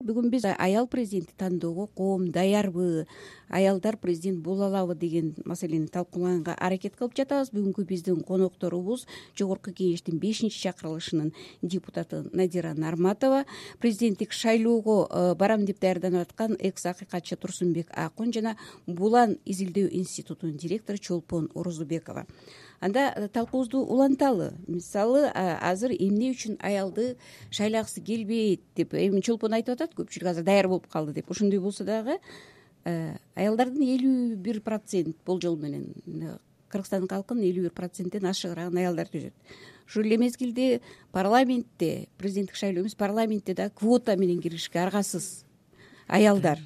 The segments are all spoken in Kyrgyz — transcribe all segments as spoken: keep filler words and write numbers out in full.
бүгүн биз аял президентти тандоого коом даярбы, аялдар президент боло алабы деген маселени талкуулаганга аракет кылып жатабыз. Бүгүнкү биздин конокторубуз Жогорку Кеңештин бешинчи чакырылышынын депутаты Надира Нарматова, президенттик шайлоого барам деп даярданып аткан экс акыйкатчы Турсунбек Акун жана Булан изилдөө институтунун директору Чолпон Орозубекова. Анда талкуубузду уланталы. Мисалы, азыр эмне үчүн аялды шайлагысы келбейт деп эми Чолпон айтып атат, көпчүлүк азыр даяр болуп калды деп. Ошондой болсо дагы аялдардын элүү бир процент болжол менен Кыргызстандын калкынын элүү бир проценттен ашыгыраак аялдар түзөт. Ушул эле мезгилде парламентте, президенттик шайлоо эмес, парламентте да квота менен киришке аргасыз аялдар.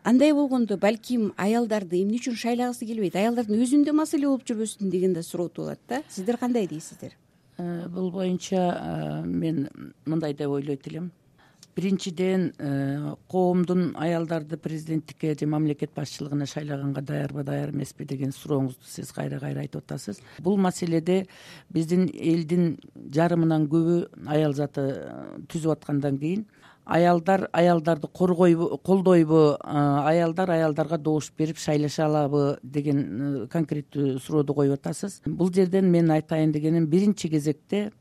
Андай болгондо балким аялдарды эмне үчүн шайлагысы келбейт, аялдардын өзүндө маселе болуп жүрбөсүн деген да суроо туулат да. Сиздер кандай дейсиздер? Бул боюнча мен мындай деп ойлойт элем. Биринчиден, коомдун аялдарды президенттикке же мамлекет башчылыгына шайлаганга даярбы, даяр эмеспи деген сурооңузду сиз кайра кайра айтып атасыз. Бул маселеде биздин элдин жарымынан көбү аял заты түзүп аткандан кийин аялдар аялдарды коргойбу, колдойбу, аялдар аялдарга добуш берип шайлаша алабы деген конкреттүү сурооду коюп атасыз. Бул жерден мен айтайын дегеним, биринчи кезекте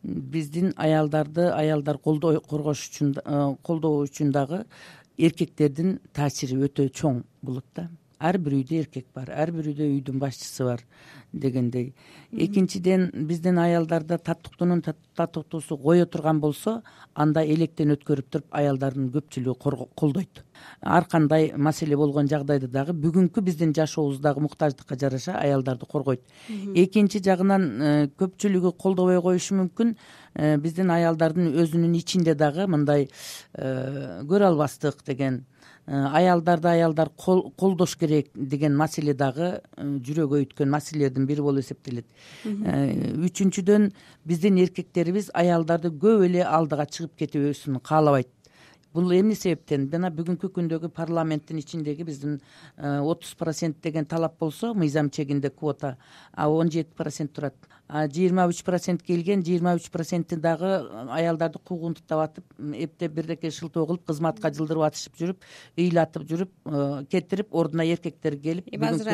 биздин аялдарды аялдар колдой коргош үчүн, колдоо үчүн дагы эркектердин таасири өтө чоң болот да. Ар бир үйдө эркек бар, ар бир үйдө үйдүн башчысы бар дегендей. Экинчиден, биздин аялдарда татыктуунун татыктуусу кое турган болсо, анда электен өткөрүп туруп аялдардын көпчүлүгү колдойт. Ар кандай маселе болгон жагдайда дагы бүгүнкү биздин жашообуздагы муктаждыкка жараша аялдарды коргойт. Экинчи жагынан көпчүлүгү колдобой коюшу мүмкүн. Биздин аялдардын өзүнүн ичинде дагы мындай көрө албастык деген, аялдарды аялдар колдош керек деген маселе дагы жүрөгү өйткөн маселелердин бири болуп эсептелет. Үчүнчүдөн, биздин эркектерибиз аялдарды көп эле алдыга чыгып кетүүсүн каалабайт. Бул эмне себептен? Жана бүгүнкү күндөгү парламенттин ичиндеги биздин отуз процент деген талап болсо, мыйзам чегинде квота он жети процент турат. жыйырма үч процент келген, жыйырма үч проценти дагы аялдарды куугунтуктап атып, эптеп бирдеке шылтоо кылып, кызматка жылдырып атышып жүрүп, ыйлатып жүрүп, кетирип, ордуна эркектер келип, азыр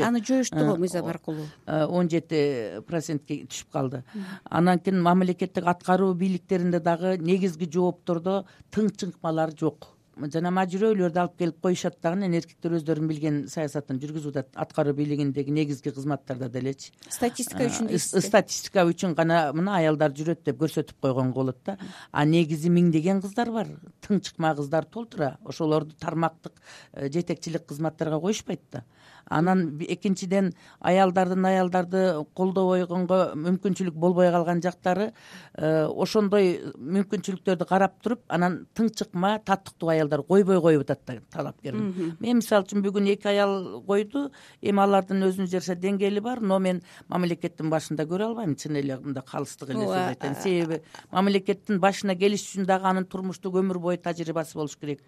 аны жоюшту го мыйзам аркылуу. он жети процентке түшүп калды. Анан кийин мамлекеттик аткаруу бийликтеринде дагы негизги жооптордо тыңчыкмалар жок. Жана мажүрөөлөрдү алып келип коюшат дагы, эркектер өздөрүнүн билген саясатын жүргүзүп атат, аткаруу бийлигиндеги негизги кызматтарда делечи. Статистика үчүн дейсизби? Статистика үчүн гана мына аялдар жүрөт деп көрсөтүп койгонго болот да. А негизи миңдеген кыздар бар, тыңчыкма кыздар толтура. Ошолорду тармактык жетекчилик кызматтарга коюшпайт да. Анан экинчиден, аялдардын аялдарды колдобой койгонго мүмкүнчүлүк болбой калган жактары, ошондой мүмкүнчүлүктөрдү карап туруп, анан тыңчыкма, татыктуу аялдар койбой коюп атат да талапкер. Мен мисалы үчүн бүгүн эки аял койду, эми алардын өзүнө жараша деңгээли бар, но мен мамлекеттин башында көрө албайм, чын эле мындай калыстык эле сөз айтайын. Себеби мамлекеттин башына келиш үчүн дагы анын турмуштук өмүр бою тажрыйбасы болуш керек.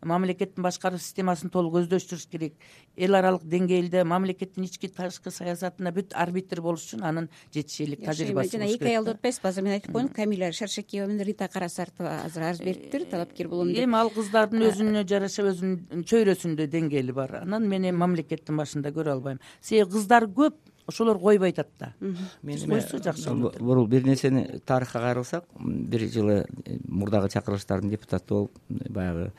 Мамлекеттин башкаруу системасын толук өздөштүрүш керек. Эл аралык деңгээлде мамлекеттин ички тышкы саясатына бүт арбитр болуш үчүн анын жетишерлик тажрыйбасы болуш керек. Жана эки аялды утпайсызбы? Азыр мен айтып коеюн, Камиля Шаршакиева менен Рита Карасартова азыр арыз бериптир, талапкер болом деп. Эми ал кыздардын өзүнө жараша өзүнүн чөйрөсүндө деңгээли бар. Анан мен эми мамлекеттин башында көрө албайм. Себеби кыздар көп, ошолор койбой атат да. Мен койсо жакшы болот. Бул бир нерсени тарыхка кайрылсак, бир жылы мурдагы чакырылыштардын депутаты болуп, баягы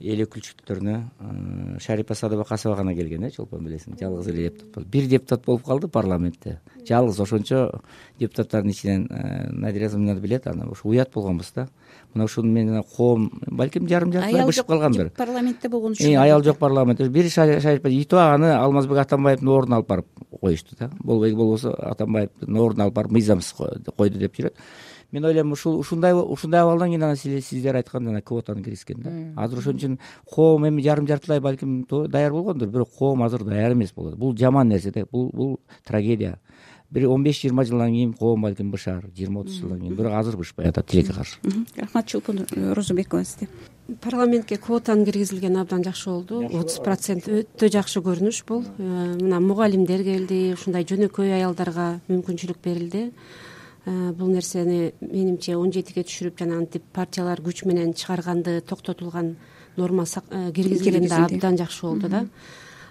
эл өкүлчүлүктөрүнө Шарипа Садыбакасова гана келген, э, Чолпон билесиң, жалгыз эле депутат. Бир депутат болуп калды парламентте. Жалгыз ошончо депутаттардын ичинен Надира Зымнады билет, аны ошо уят болгонбуз да. Мына ушуну мен коом балким жарым жартылай бышып калгандыр. Парламентте болгон үчүн. Аял жок парламентте. Бир Шарипа Итова аны Алмазбек Атамбаевдин ордуна алып барып коюшту да. Болбой болбосо Атамбаевдин ордуна алып барып мыйзамсыз койду деп жүрөт. Мен ойлойм, ушул ушундай ушундай абалдан кийин анан сиздер айткан жана квотаны киргизген да. Азыр ошон үчүн коом эми жарым жартылай балким даяр болгондур, бирок коом азыр даяр эмес болот. Бул жаман нерсе да, бул бул трагедия. Бир он беш жыйырма жылдан кийин коом балким бышар, жыйырма отуз жылдан кийин, бирок азыр бышпай атат тилекке каршы. Рахмат. Чолпон Орозубекова, сизде. Парламентке квотанын киргизилгени абдан жакшы болду. отуз процент өтө жакшы көрүнүш бул. Мына мугалимдер келди, ушундай жөнөкөй аялдарга мүмкүнчүлүк берилди. бул нерсени менимче он жетиге түшүрүп жана антип партиялар күч менен чыгарганды токтотулган норма киргизилгенде абдан жакшы болду да.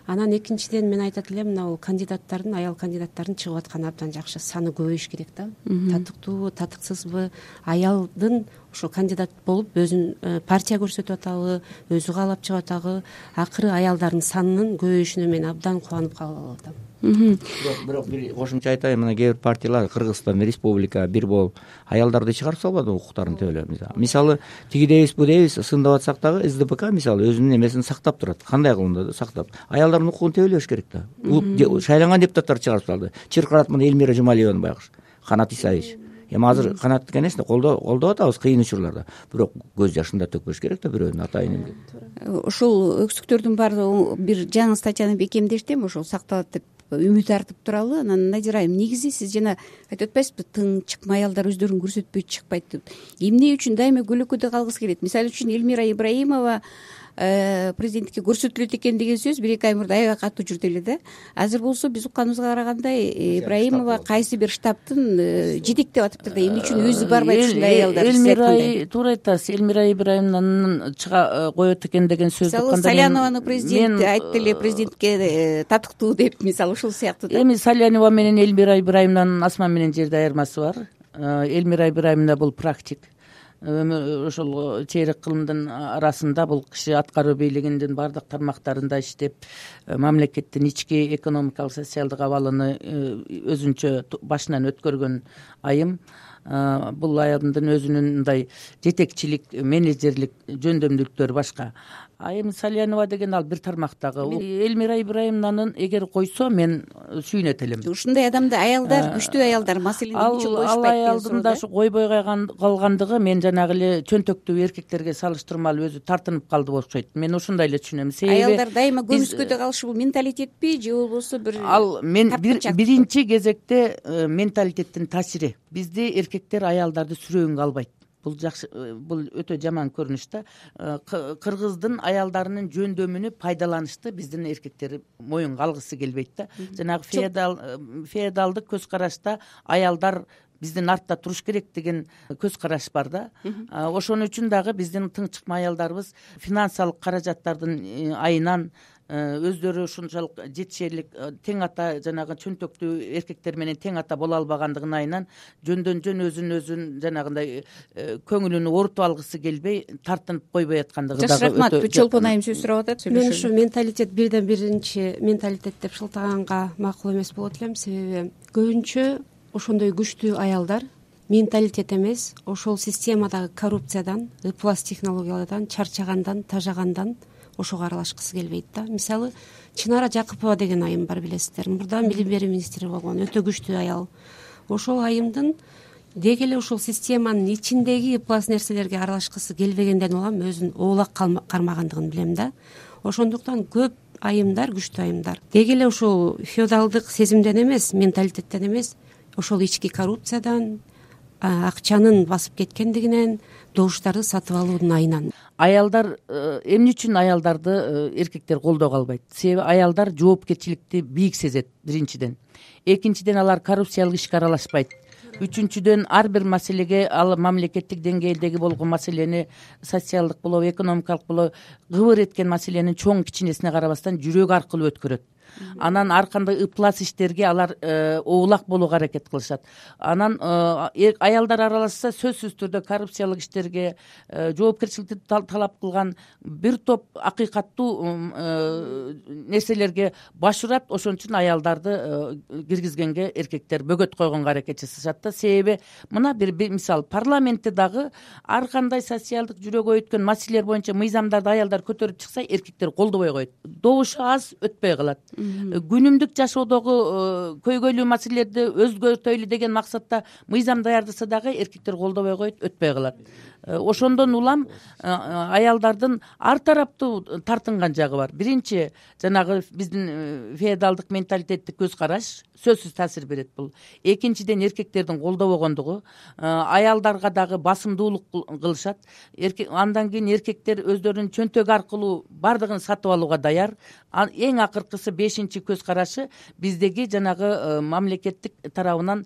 Анан экинчиден мен айтат элем мына кандидаттардын аял кандидаттардын чыгып атканы абдан жакшы, саны көбөйүш керек да. Татыктуубу татыксызбы аялдын ошо кандидат болуп өзүн партия көрсөтүп атабы, өзү каалап чыгып атабы, акыры аялдардын санынын көбөйүшүнө мен абдан кубанып калып атам. бирок бирок бир кошумча айтайын, мына кээ бир партиялар Кыргызстан республика бир болуп аялдарды чыгарып салбады укуктарын төлөө. Мисалы тиги дейбиз бу дейбиз сындап атсак дагы СДПК мисалы өзүнүн эмесин сактап турат. Кандай кылганда да сактап. Аялдардын укугун тебелеш керек да. Шайланган депутаттарды чыгарып салды. Чыркырат мына Элмира Жумалиеваны байкуш, Канат Исаевич. Эми азыр Канаттыкы энесин колдоп атабыз кыйын учурларда. Бирок көз жашын да төкпөш керек да бирөөнүн атайын деп. Ушул өксүктөрдүн баардыгы бир жаңы статьяны бекемдештим, ошол сакталат деп үмүт артып туралы. Анан Надира айым, негизи сиз жана айтып атпайсызбы, тың чыкма аялдар өздөрүн көрсөтпөй чыкпайт деп. Эмне үчүн дайыма көлөкөдө калгысы келет? Мисалы үчүн Элмира Ибраимова президенттикке көрсөтүлөт экен деген сөз бир эки ай мурда аябай катуу жүрдү эле да. Азыр болсо биз укканыбызга караганда Ибраимова кайсы бир штабтын жетектеп атыптыр да. Эмне үчүн өзү барбайт ушундай аялдар? Элмира туура айтасыз. Элмира Ибраимованын чыга коет экен деген сөздү укканда Салянованы президент айтты эле, президентке татыктуу деп, мисалы ушул сыяктуу да. Эми Салянова менен Элмира Ибраимованын асман менен жерде айырмасы бар. Элмира Ибраимовна бул практик. Ошол чейрек кылымдын арасында бул киши аткаруу бийлигинин баардык тармактарында иштеп, мамлекеттин ички экономикалык социалдык абалыны өзүнчө башынан өткөргөн айым. Бул айымдын өзүнүн мындай жетекчилик, менеджерлик жөндөмдүүлүктөрү башка. А эми Салянова деген ал бир тармактагы. Элмира Ибраимованын эгер койсо мен сүйүнөт элем. Ушундай адамды аялдар, күчтүү аялдар маселени үчүн койшпайт. Ал аялдын да койбой калгандыгы мен жанагы эле чөнтөктүү эркектерге салыштырмалуу өзү тартынып калды окшойт. Мен ушундай эле түшүнөм. Себеби аялдар дайыма көмүскөдө калышы бул менталитетпи же болбосо бир ал мен биринчи кезекте менталитеттин таасири. Бизде эркектер аялдарды сүрөөнгө албайт. Бул жакшы, бул өтө жаман көрүнүш да. Кыргыздын аялдарынын жөндөмүнү пайдаланышты биздин эркектер моюнга алгысы келбейт да. Жанагы феодал феодалдык көз карашта аялдар биздин артта туруш керек деген көз караш бар да. Ошон үчүн дагы биздин тың чыкма аялдарыбыз финансылык каражаттардын айынан өздөрү ушунчалык жетишерлик тең ата, жанагы чөнтөктүү эркектер менен тең ата боло албагандыгын айынан жөндөн жөн өзүн өзүн жанагындай көңүлүн оорутуп алгысы келбей тартынып койбой аткандыгы дагы. Жакшы, рахмат. Чолпон айым сөз сурап атат. Мен ушу менталитет бирден биринчи менталитет деп шылтаганга макул эмес болот элем. Себеби көбүнчө ошондой күчтүү аялдар менталитет эмес, ошол системадагы коррупциядан, ыплас технологиялардан чарчагандан, тажагандан ошого аралашкысы келбейт да. Мисалы Чынара Жакыпова деген айым бар, билесиздер. Мурда билим берүү министри болгон, өтө күчтүү аял. Ошол айымдын деги эле ошол системанын ичиндеги ыплас нерселерге аралашкысы келбегенден улам өзүн оолак кармагандыгын билем да. Ошондуктан көп айымдар, күчтүү айымдар деги эле ошол феодалдык сезимден эмес, менталитеттен эмес, ошол ички коррупциядан, акчанын басып кеткендигинен, добуштарды сатып алуунун айынан. Аялдар эмне үчүн аялдарды эркектер колдоого албайт? Себеби аялдар жоопкерчиликти бийик сезет, биринчиден. Экинчиден алар коррупциялык ишке аралашпайт. Үчүнчүдөн ар бир маселеге, ал мамлекеттик деңгээлдеги болгон маселени, социалдык болобу, экономикалык болобу, кыбыр эткен маселенин чоң кичинесине карабастан жүрөк аркылуу өткөрөт. Анан ар кандай ыплас иштерге алар оолак болууга аракет кылышат. Анан аялдар аралашса сөзсүз түрдө коррупциялык иштерге, жоопкерчиликти талап кылган бир топ акыйкаттуу нерселерге баш урат. Ошон үчүн аялдарды киргизгенге эркектер бөгөт койгонго аракет жасашат да. Себеби мына бир мисал, парламентте дагы ар кандай социалдык жүрөгү өткөн маселелер боюнча мыйзамдарды аялдар көтөрүп чыкса, эркектер колдобой коет. Добушу аз, өтпөй калат. Күнүмдүк жашоодогу көйгөйлүү маселелерди өзгөртөйлү деген максатта мыйзам даярдаса дагы эркектер колдобой коет, өтпөй калат. Ошондон улам аялдардын ар тараптуу тартынган жагы бар. Биринчи, жанагы биздин феодалдык менталитеттик көз караш сөзсүз таасир берет бул. Экинчиден, эркектердин колдобогондугу, аялдарга дагы басымдуулук кылышат. Андан кийин эркектер өздөрүнүн чөнтөгү аркылуу бардыгын сатып алууга даяр. Эң акыркысы, бешинчи көз карашы, биздеги жанагы мамлекеттик тарабынан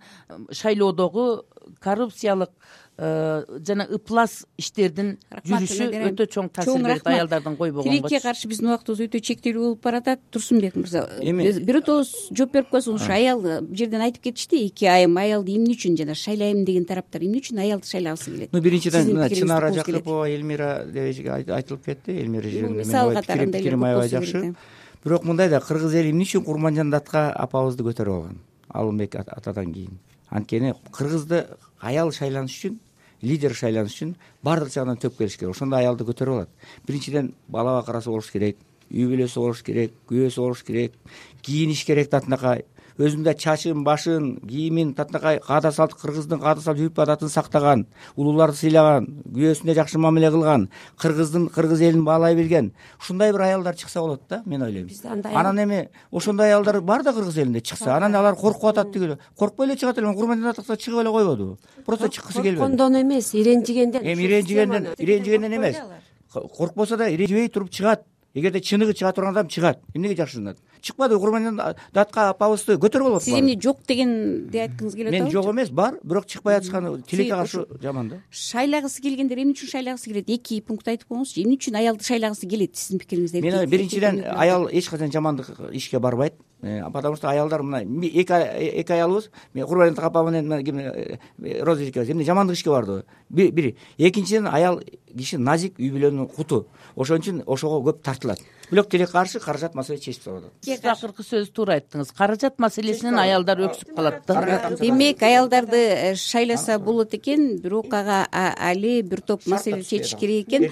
шайлоодогу коррупциялык жана ыплас иштердин жүрүшү өтө чоң таасир берет аялдардын койбогон тилекке каршы биздин убактыбыз өтө чектелүү болуп баратат. Турсунбек мырза, бирөөтөбүз жооп берип коесуңуз. Ушу аял бул жерден айтып кетишти, эки айым аялды эмне үчүн жана шайлайм деген тараптар эмне үчүн аялды шайлагысы келет? Ну биринчиден мына Чынара Жакыпова, Элмира деп айтылып кетти. Элмира жөнүндө мисал катарында пикирим аябай жакшы. Бирок мындай да, кыргыз эли эмне үчүн Курманжан Датка апабызды көтөрүп алган Алымбек атадан кийин? Анткени кыргызды аял шайланыш үчүн, лидер шайланыш үчүн баардык жагынан төп келиш керек. Ошондо аялды көтөрүп алат. Биринчиден бала бакарасы болуш керек, үй бүлөсү болуш керек, күйөөсү болуш керек, кийиниш керек татынакай, өзүнүн да чачын, башын, кийимин татынакай каада салт, кыргыздын каада салт үрп адатын сактаган, улууларды сыйлаган, күйөөсүнө жакшы мамиле кылган, кыргыздын кыргыз элин баалай билген ушундай бир аялдар чыкса болот да, мен ойлойм. Анан эми ошондой аялдар бар да кыргыз элинде чыкса, анан алар коркуп атат тигил. Коркпой эле чыгат эле. Курманжан Датка чыгып эле койбоду. Просто чыккысы келбеди. Корккондон эмес, иренжигенден. Эми иренжигенден, иренжигенден эмес. Коркпосо да иренжибей туруп чыгат. Эгерде чыныгы чыга турган адам чыгат. Эмнеге жакшырынат? Чыкпады. Курманжан Датка апабызды көтөрүп алып. Сиз эмне жок дегенди айткыңыз келип атабы? Мен жок эмес, бар, бирок чыкпай атышканы тилекке каршы жаман да. Шайлагысы келгендер эмне үчүн шайлагысы келет? Эки пункт айтып коюңузчу. Эмне үчүн аялды шайлагысы келет сиздин пикириңизде? Мен биринчиден аял эч качан жамандык ишке барбайт. Потому что аялдар мына эки эки аялыбыз, мен Курманжан апа менен Роза экөөбүз эмне жамандык ишке барды? Бири. Экинчиден аял киши назик, үй бүлөнүн куту. Ошон үчүн ошого көп тартылат. Бирок тилекке каршы каражат маселе чечип салат. Сиз акыркы сөзү туура айттыңыз. Каражат маселесинен аялдар өксүп калат да. Демек аялдарды шайласа болот экен, бирок ага али бир топ маселе чечиш керек экен.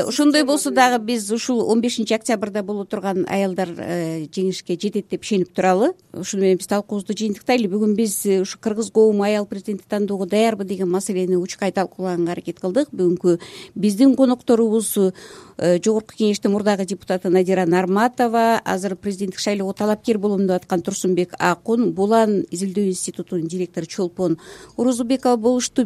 Ошондой болсо дагы биз ушул он бешинчи октябрда боло турган аялдар жеңишке жетет деп ишенип туралы. Ушуну менен биз талкуубузду жыйынтыктайлы. Бүгүн биз ушу кыргыз коому аял президентти тандоого даярбы деген маселени учкай талкуулаганга аракет кылдык. Бүгүнкү биздин конокторубуз жогорку кеңештин мурдагы депутаты Надира Нарматова, азыр президенттик шайлоого талапкер болом деп аткан Турсунбек Акун, Булан изилдөө институтунун директору Чолпон Орозубекова болушту.